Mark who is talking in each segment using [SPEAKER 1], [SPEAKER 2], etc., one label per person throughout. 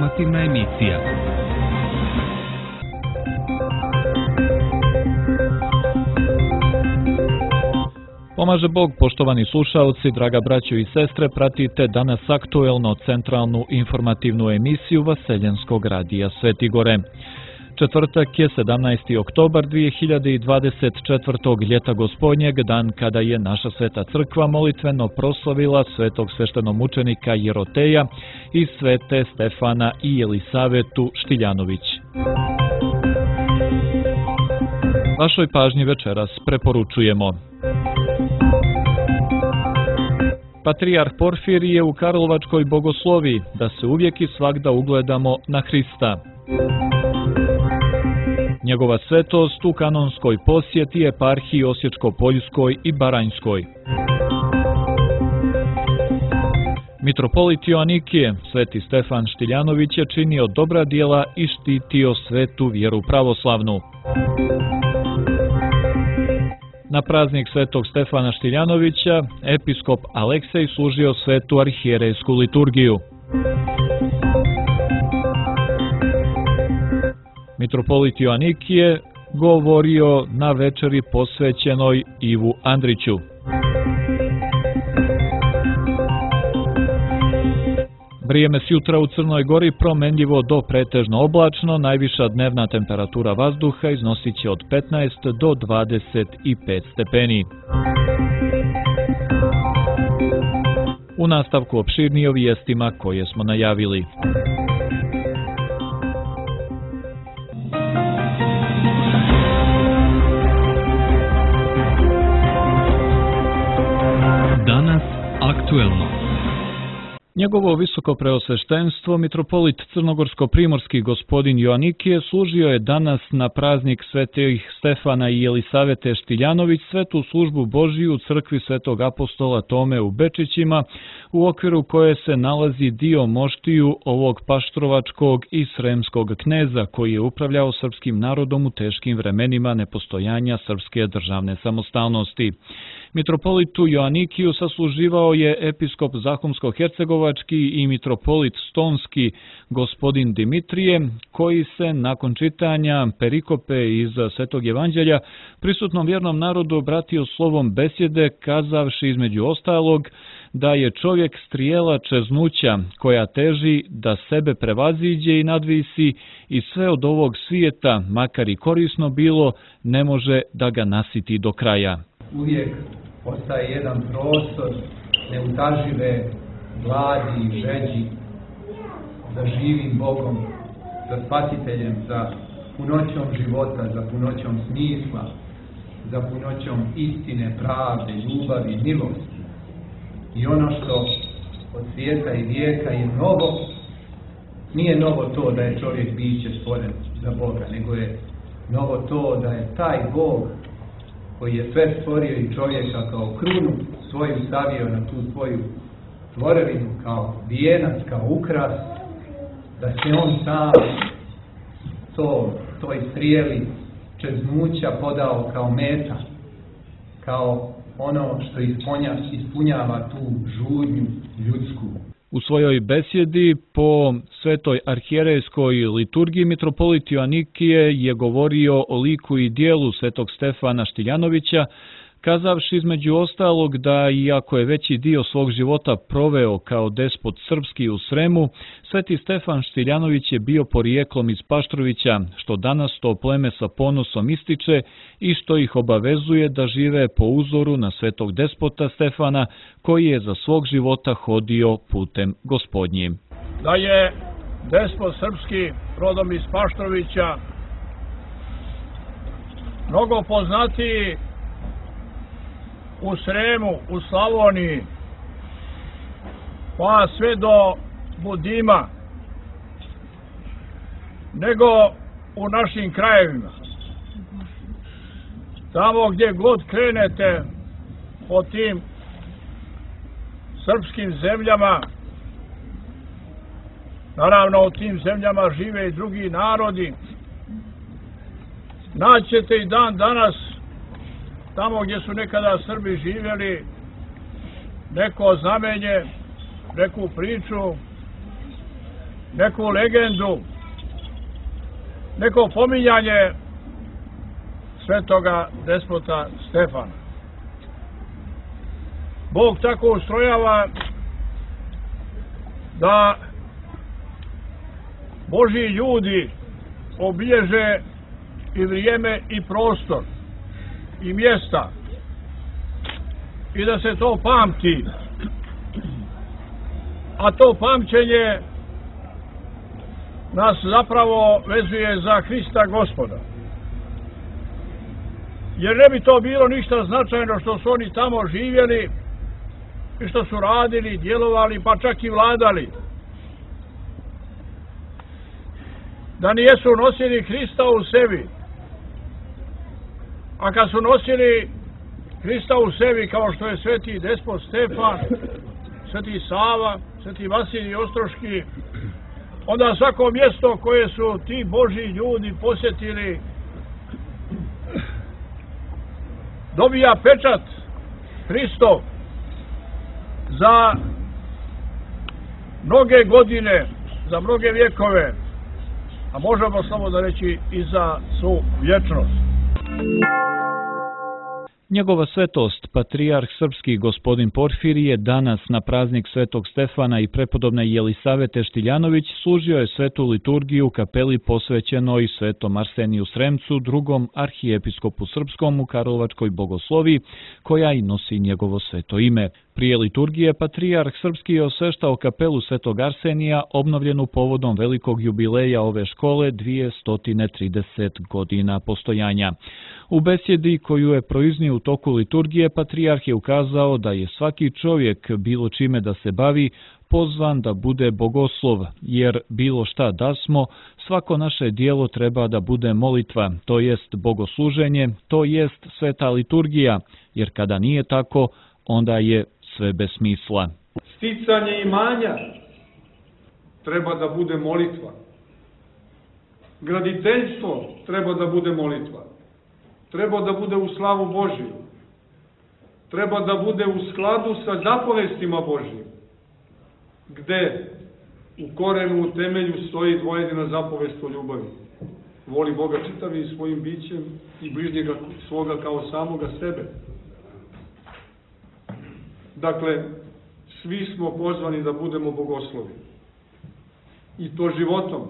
[SPEAKER 1] informativna emisija. Pomaže Bog, poštovani slušaoci, draga braćo i sestre, pratite danas aktuelno centralnu informativnu emisiju Vaseljenskog radija Svetigore. Četvrtak je 17. oktobar 2024. ljeta gospodnjeg, dan kada je naša sveta crkva molitveno proslavila svetog sveštenomučenika Jeroteja i svete Stefana i Jelisavetu Štiljanović. Vašoj pažnji večeras preporučujemo. Patrijarh Porfirije u Karlovačkoj bogoslovi, da se uvijek i svagda ugledamo na Hrista. Njegova svetost u kanonskoj posjeti eparhiji Osječko-Poljskoj i Baranjskoj. Mitropolit Joanikije, sveti Stefan Štiljanović, je činio dobra djela i štitio svetu vjeru pravoslavnu. Na praznik svetog Stefana Štiljanovića, episkop Aleksej služio svetu arhijerejsku liturgiju. Mitropolit Joanikije govorio na večeri posvećenoj Ivu Andriću. Vrijeme s jutra u Crnoj Gori promenljivo do pretežno oblačno, najviša dnevna temperatura vazduha iznosit će od 15 do 25 stepeni. U nastavku opširnije o vijestima koje smo najavili. Danas aktuelno. Njegovo visoko preosveštenstvo, mitropolit crnogorsko-primorski gospodin Joanikije, služio je danas na praznik svetih Stefana i Jelisavete Štiljanović svetu službu Božiju u crkvi svetog apostola Tome u Bečićima, u okviru koje se nalazi dio moštiju ovog paštrovačkog i sremskog kneza koji je upravljao srpskim narodom u teškim vremenima nepostojanja srpske državne samostalnosti. Mitropolitu Joanikiju sasluživao je episkop Zahumsko-hercegovački i mitropolit Stonski gospodin Dimitrije, koji se nakon čitanja perikope iz Svetog evanđelja prisutnom vjernom narodu obratio slovom besjede, kazavši između ostalog da je čovjek strijela čeznuća koja teži da sebe prevaziđe i nadvisi i sve od ovog svijeta, makar i korisno bilo, ne može da ga nasiti do kraja.
[SPEAKER 2] Uvijek ostaje jedan prostor neutažive gladi i žeđi za živim Bogom, za spasiteljem, za punoćom života, za punoćom smisla, za punoćom istine, pravde, ljubavi, milosti. I ono što od svijeta i vijeka je novo, nije novo to da je čovjek biće stvoren za Boga, nego je novo to da je taj Bog koji je sve stvorio i čovjeka kao krunu svoju stavio na tu svoju tvorevinu, kao vijenac, kao ukras, da se on sam toj strijeli čeznuća podao kao meta, kao ono što ispunjava tu žudnju ljudsku.
[SPEAKER 1] U svojoj besjedi po svetoj arhijerejskoj liturgiji mitropolit Joanikije je govorio o liku i dijelu svetog Stefana Štiljanovića, kazavši između ostalog da iako je veći dio svog života proveo kao despot srpski u Sremu, sveti Stefan Štiljanović je bio porijeklom iz Paštrovića, što danas to pleme sa ponosom ističe i što ih obavezuje da žive po uzoru na svetog despota Stefana, koji je za svog života hodio putem gospodnjim.
[SPEAKER 3] Da je despot srpski rodom iz Paštrovića mnogo poznatiji u Sremu, u Slavoniji, pa sve do Budima, nego u našim krajevima. Tamo gdje god krenete po tim srpskim zemljama, naravno u tim zemljama žive i drugi narodi, naćete i dan danas tamo gdje su nekada Srbi živjeli neko znamenje, neku priču neku legendu, neko pominjanje svetoga despota Stefana. Bog tako ustrojava da Božji ljudi obilježe i vrijeme i prostor i mjesta i da se to pamti. A to pamćenje nas zapravo vezuje za Hrista Gospoda. Jer ne bi to bilo ništa značajno što su oni tamo živjeli i što su radili, djelovali, pa čak i vladali. Da nijesu nosili Hrista u sebi. A kad su nosili Hrista u sebi, kao što je sveti despot Stefan, sveti Sava, sveti Vasilij Ostroški, onda svako mjesto koje su ti Božji ljudi posjetili dobija pečat Hristov za mnoge godine, za mnoge vjekove, a možemo samo da reći i za svu vječnost.
[SPEAKER 1] Njegova svetost, patrijarh srpski gospodin Porfirije, danas na praznik svetog Stefana i prepodobne Jelisavete Štiljanović služio je svetu liturgiju u kapeli posvećenoj svetom Arseniju Sremcu, drugom arhijepiskopu srpskom u Karlovačkoj Bogosloviji, koja i nosi njegovo sveto ime. Prije liturgije patrijarh srpski je osveštao kapelu svetog Arsenija, obnovljenu povodom velikog jubileja ove škole 230 godina postojanja. U besjedi koju je proiznio u toku liturgije, patrijarh je ukazao da je svaki čovjek, bilo čime da se bavi, pozvan da bude bogoslov, jer bilo šta da smo, svako naše dijelo treba da bude molitva, to jest bogosluženje, to jest sveta liturgija, jer kada nije tako, onda je sve bez smisla.
[SPEAKER 4] Sticanje imanja treba da bude molitva. Graditeljstvo treba da bude molitva. Treba da bude u slavu Božiju. Treba da bude u skladu sa zapovestima Božijim. Gde u korenu, u temelju stoji dvojedina zapovest o ljubavi. Voli Boga čitavim svojim bićem i bližnjega svoga kao samoga sebe. Dakle, svi smo pozvani da budemo bogoslovi. I to životom.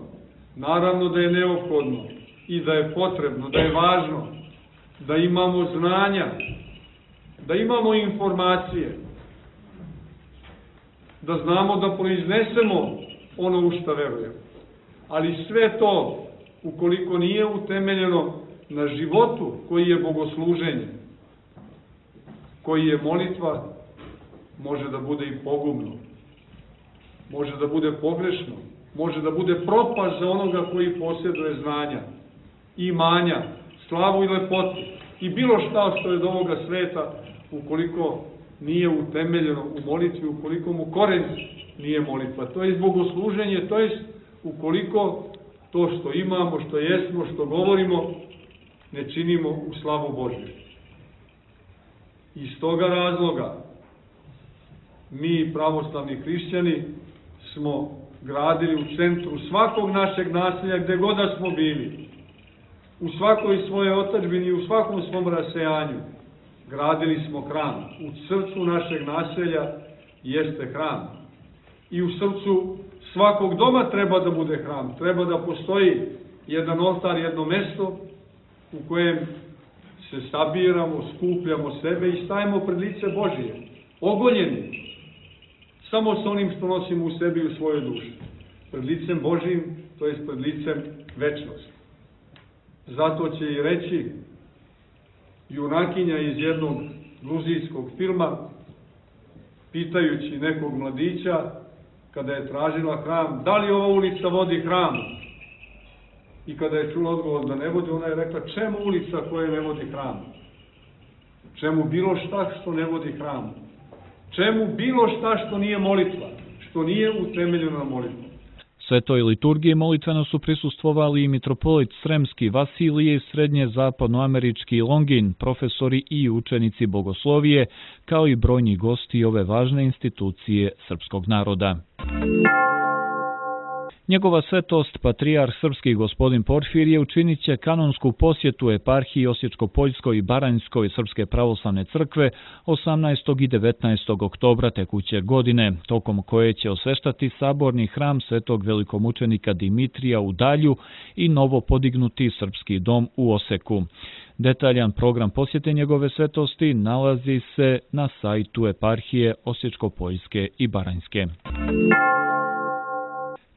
[SPEAKER 4] Naravno da je neophodno i da je potrebno, da je važno, da imamo znanja, da imamo informacije, da znamo da proiznesemo ono u šta verujemo. Ali sve to, ukoliko nije utemeljeno na životu koji je bogosluženje, koji je molitva, može da bude i pogubno, može da bude pogrešno, može da bude propast za onoga koji posjeduje znanja, imanja, slavu i lepotu i bilo šta što je od ovoga sveta, ukoliko nije utemeljeno u molitvi, ukoliko mu koren nije molitva. To je bogosluženje, to je ukoliko to što imamo, što jesmo, što govorimo, ne činimo u slavu Božju. Iz toga razloga mi, pravoslavni hrišćani, smo gradili u centru svakog našeg naselja, gde god da smo bili, u svakoj svojoj otadžbini, u svakom svom rasejanju, gradili smo hram. U srcu našeg naselja jeste hram. I u srcu svakog doma treba da bude hram. Treba da postoji jedan oltar, jedno mesto u kojem se sabiramo, skupljamo sebe i stavimo pred lice Božije, ogoljeni, samo sa onim što nosimo u sebi i u svojoj duši. Pred licem Božijim, to jest pred licem večnosti. Zato će i reći junakinja iz jednog gruzijskog filma, pitajući nekog mladića, kada je tražila hram, da li ova ulica vodi hram? I kada je čula odgovor da ne vodi, ona je rekla, čemu ulica koja ne vodi hram? Čemu bilo šta što ne vodi hram? Čemu bilo šta što nije molitva, što nije utemeljeno na molitvu?
[SPEAKER 1] Svetoj liturgiji molitveno su prisustvovali i mitropolit Sremski Vasilije i srednje zapadnoamerički Longin, profesori i učenici bogoslovije, kao i brojni gosti ove važne institucije srpskog naroda. Njegova svetost, patrijarh srpski gospodin Porfirije, učinit će kanonsku posjetu eparhiji Osječko-Poljskoj i Baranjskoj Srpske pravoslavne crkve 18. i 19. oktobra tekuće godine, tokom koje će osveštati saborni hram svetog velikomučenika Dimitrija u Dalju i novo podignuti srpski dom u Oseku. Detaljan program posjete njegove svetosti nalazi se na sajtu eparhije Osječko-Poljske i Baranjske.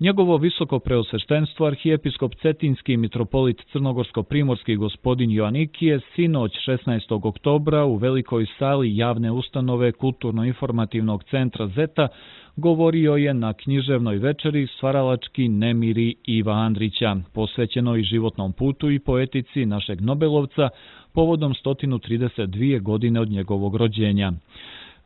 [SPEAKER 1] Njegovo visoko preosveštenstvo arhijepiskop Cetinski mitropolit crnogorsko-primorski gospodin Joanikije sinoć 16. oktobra u velikoj sali javne ustanove Kulturno-informativnog centra Zeta govorio je na književnoj večeri Stvaralački nemiri Iva Andrića, posvećenoj životnom putu i poetici našeg Nobelovca povodom 132 godine od njegovog rođenja.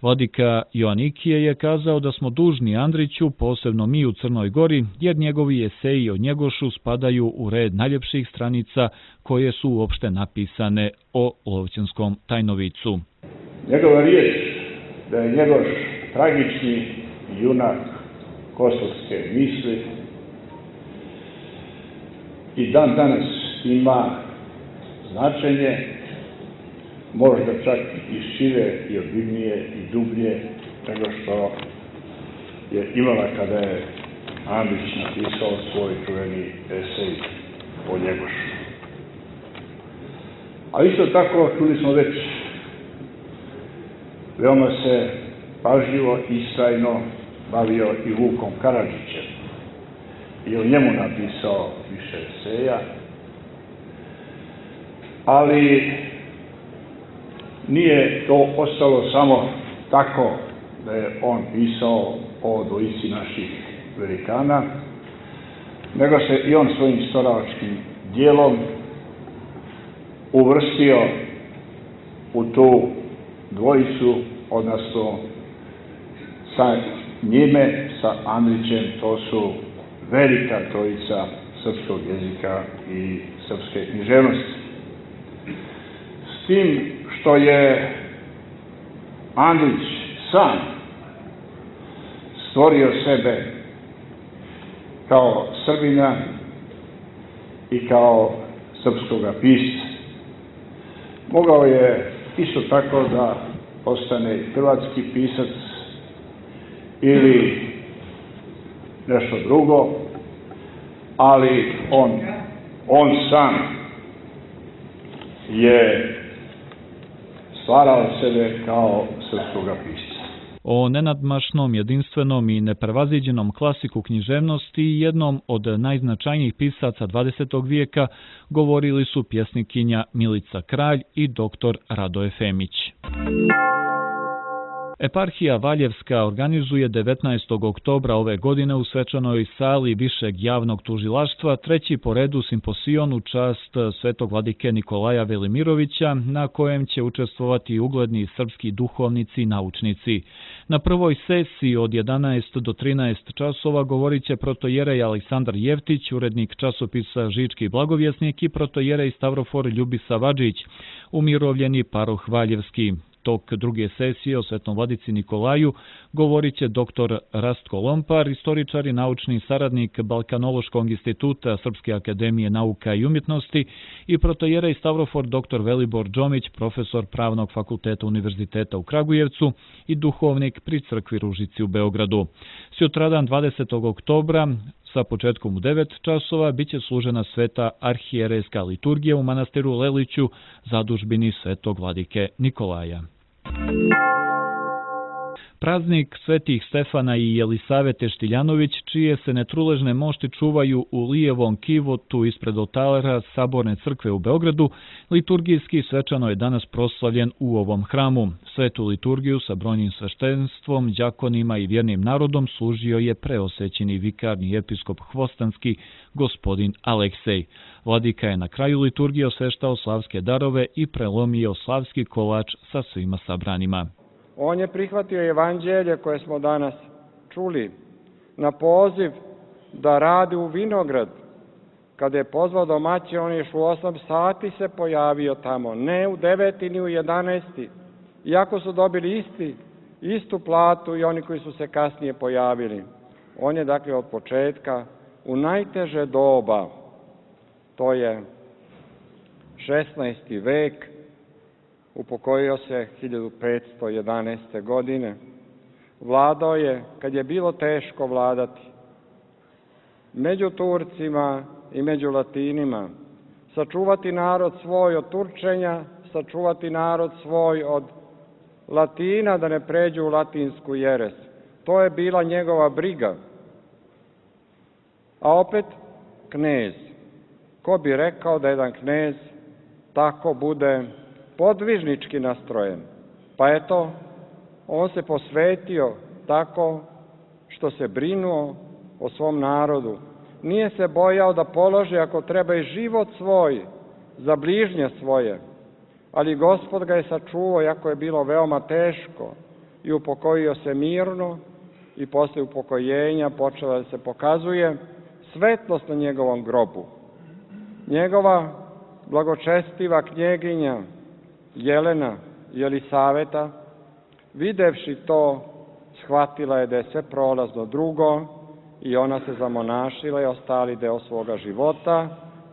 [SPEAKER 1] Vladika Joanikije je kazao da smo dužni Andriću, posebno mi u Crnoj Gori, jer njegovi eseji o Njegošu spadaju u red najljepših stranica koje su uopšte napisane o Lovćenskom tajnovicu.
[SPEAKER 5] Njegova riječ da je Njegoš tragični junak kosovske misli i dan danas ima značenje, možda čak i šire i obimnije i dublje nego što je imala kada je Andrić napisao svoj čuveni esej o Njegošu. A isto tako, čuli smo već, veoma se pažljivo i istrajno bavio i Vukom Karadžićem i o njemu napisao više eseja, ali nije to ostalo samo tako da je on pisao o dvojici naših velikana, nego se i on svojim stvaralačkim dijelom uvrstio u tu dvojicu, odnosno sa njime, sa Andrićem, to su velika trojica srpskog jezika i srpske književnosti. S tim što je Andrić sam stvorio sebe kao Srbina i kao srpskoga pisca. Mogao je isto tako da postane hrvatski pisac ili nešto drugo, ali on sam je stvarao sebe kao srpskoga pisca.
[SPEAKER 1] O nenadmašnom, jedinstvenom i neprevaziđenom klasiku književnosti i jednom od najznačajnijih pisaca 20. vijeka govorili su pjesnikinja Milica Kralj i dr. Radoje Femić. Eparhija Valjevska organizuje 19. oktobra ove godine u svečanoj sali Višeg javnog tužilaštva treći po redu simposion u čast svetog vladike Nikolaja Velimirovića, na kojem će učestvovati ugledni srpski duhovnici i naučnici. Na prvoj sesiji od 11 do 13 časova govorit će protojerej Aleksandar Jevtić, urednik časopisa Žički blagovjesnik, i protojerej Stavrofor Ljubisa Vadžić, umirovljeni paroh Valjevski. Tok druge sesije o svetom vladici Nikolaju govorit će dr. Rastko Lompar, istoričar i naučni saradnik Balkanološkog instituta Srpske akademije nauka i umjetnosti, i protojerej Stavrofor dr. Velibor Džomić, profesor Pravnog fakulteta Univerziteta u Kragujevcu i duhovnik pri crkvi Ružici u Beogradu. Sutradan 20. oktobra sa početkom u 9 časova biće služena sveta arhijerejska liturgija u manastiru Leliću, zadužbini svetog vladike Nikolaja. Praznik svetih Stefana i Jelisavete Štiljanović, čije se netruležne mošti čuvaju u lijevom kivotu ispred oltara Saborne crkve u Beogradu, liturgijski svečano je danas proslavljen u ovom hramu. Svetu liturgiju sa brojnim sveštenstvom, đakonima i vjernim narodom služio je preosećeni vikarni episkop Hvostanski, gospodin Aleksej. Vladika je na kraju liturgije osveštao slavske darove i prelomio slavski kolač sa svima sabranima.
[SPEAKER 6] On je prihvatio evanđelje koje smo danas čuli na poziv da radi u vinograd. Kada je pozvao domaće, on je u 8 sati se pojavio tamo, ne u 9 ni u 11. Iako su dobili istu platu i oni koji su se kasnije pojavili. On je dakle od početka u najteže doba, to je 16. vek, upokojio se 1511. godine. Vladao je, kad je bilo teško vladati, među Turcima i među Latinima, sačuvati narod svoj od Turčenja, sačuvati narod svoj od Latina da ne pređu u latinsku jeres. To je bila njegova briga. A opet knez. Ko bi rekao da jedan knez tako bude podvižnički nastrojen? Pa eto, on se posvetio tako što se brinuo o svom narodu. Nije se bojao da položi ako treba i život svoj za bližnje svoje. Ali Gospod ga je sačuvao, iako je bilo veoma teško, i upokojio se mirno, i posle upokojenja počela da se pokazuje svetlost na njegovom grobu. Njegova blagočestiva knjeginja Jelena Jelisaveta, videvši to, shvatila je da je sve prolazno drugo i ona se zamonašila i ostali deo svoga života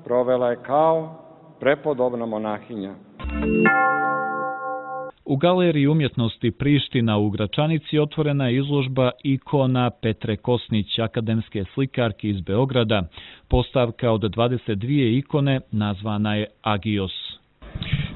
[SPEAKER 6] provela je kao prepodobna monahinja.
[SPEAKER 1] U Galeriji umjetnosti Priština u Gračanici otvorena je izložba ikona Petre Kosnić, akademske slikarke iz Beograda. Postavka od 22 ikone nazvana je Agios.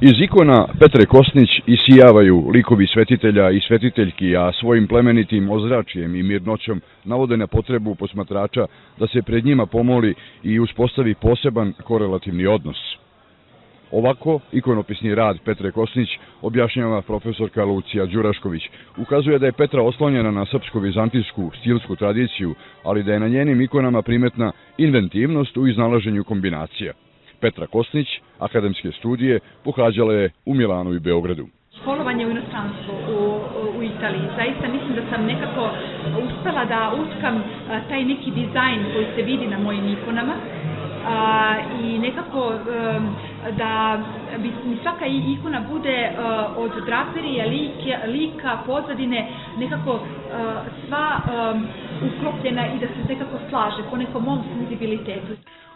[SPEAKER 7] Iz ikona Petre Kosnić isijavaju likovi svetitelja i svetiteljki, a svojim plemenitim ozračijem i mirnoćom navode na potrebu posmatrača da se pred njima pomoli i uspostavi poseban korelativni odnos. Ovako, ikonopisni rad Petre Kosnić objašnjava profesorka Lucija Đurašković. Ukazuje da je Petra oslonjena na srpsko-vizantijsku stilsku tradiciju, ali da je na njenim ikonama primetna inventivnost u iznalaženju kombinacija. Petra Kosnić, akademske studije, pohađala je u Milanu i Beogradu.
[SPEAKER 8] Školovanje u inostranstvu u Italiji. Zaista mislim da sam nekako uspela da utkam taj neki dizajn koji se vidi na mojim ikonama i nekako da mi svaka ikona bude od draperije, lika, pozadine, nekako sva uklopljena i da se nekako slaže po nekom mom senzibilitetu.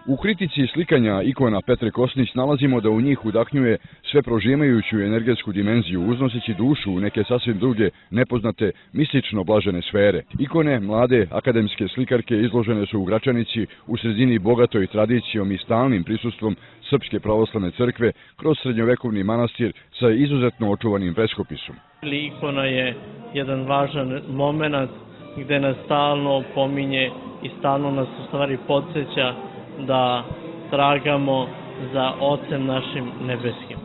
[SPEAKER 7] U kritici slikanja ikona Petre Kosnić nalazimo da u njih udahnjuje sve prožimajuću energetsku dimenziju, uznoseći dušu u neke sasvim druge, nepoznate, mistično blažene sfere. Ikone mlade akademske slikarke izložene su u Gračanici u sredini bogatoj tradicijom i stalnim prisustvom Srpske pravoslavne crkve kroz srednjovekovni manastir sa izuzetno očuvanim freskopisom.
[SPEAKER 9] Ikona je jedan važan moment gde nas stalno pominje i stalno nas u stvari podsjeća da tragamo za Ocem našim nebeskim.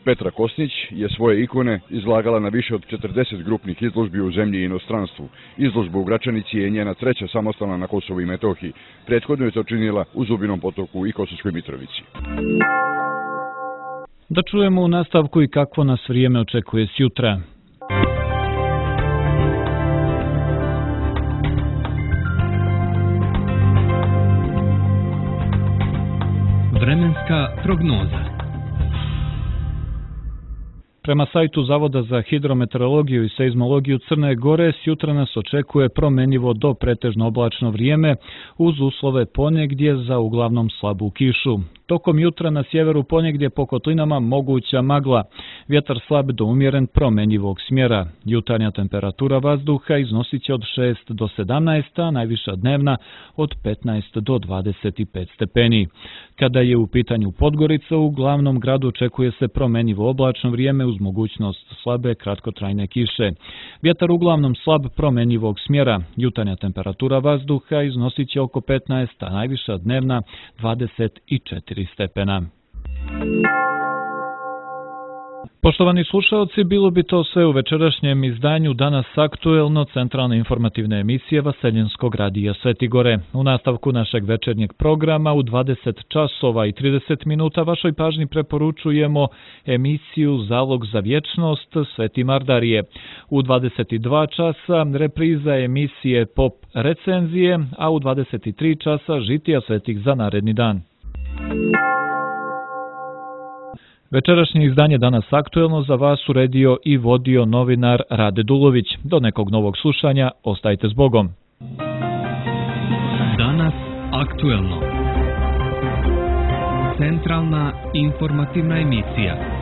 [SPEAKER 7] Petra Kosnić je svoje ikone izlagala na više od 40 grupnih izložbi u zemlji i inostranstvu. Izložba u Gračanici je njena treća samostalna na Kosovu i Metohiji. Prethodno je to činila u Zubinom Potoku i Kosovskoj Mitrovici.
[SPEAKER 1] Da čujemo u nastavku i kakvo nas vrijeme očekuje sjutra.
[SPEAKER 10] Vremenska prognoza.
[SPEAKER 1] Prema sajtu Zavoda za hidrometeorologiju i seizmologiju Crne Gore, sjutra nas očekuje promenljivo do pretežno oblačno vrijeme uz uslove ponegdje za uglavnom slabu kišu. Tokom jutra na sjeveru ponegdje po kotlinama moguća magla, vjetar slab do umjeren promenljivog smjera. Jutarnja temperatura vazduha iznosit će od 6 do 17, a najviša dnevna od 15 do 25 stepeni. Kada je u pitanju Podgorica, u glavnom gradu očekuje se promenljivo oblačno vrijeme uz mogućnost slabe kratkotrajne kiše. Vjetar uglavnom slab promenljivog smjera. Jutarnja temperatura vazduha iznosit će oko 15, a najviša dnevna 24 stepena. Poštovani slušalci, bilo bi to sve u večerašnjem izdanju Danas aktuelno centralne informativne emisije Vaseljenskog radija Sveti Gore. U nastavku našeg večernjeg programa u 20 časova i 30 minuta vašoj pažnji preporučujemo emisiju Zalog za vječnost Sveti Mardarije. U 22 časa repriza emisije Pop recenzije, a u 23 časa žitija svetih za naredni dan. Večerašnje izdanje Danas aktuelno za vas uredio i vodio novinar Rade Dulović. Do nekog novog slušanja, ostajte s Bogom.
[SPEAKER 10] Danas aktuelno. Aktuelno. Centralna informativna emisija.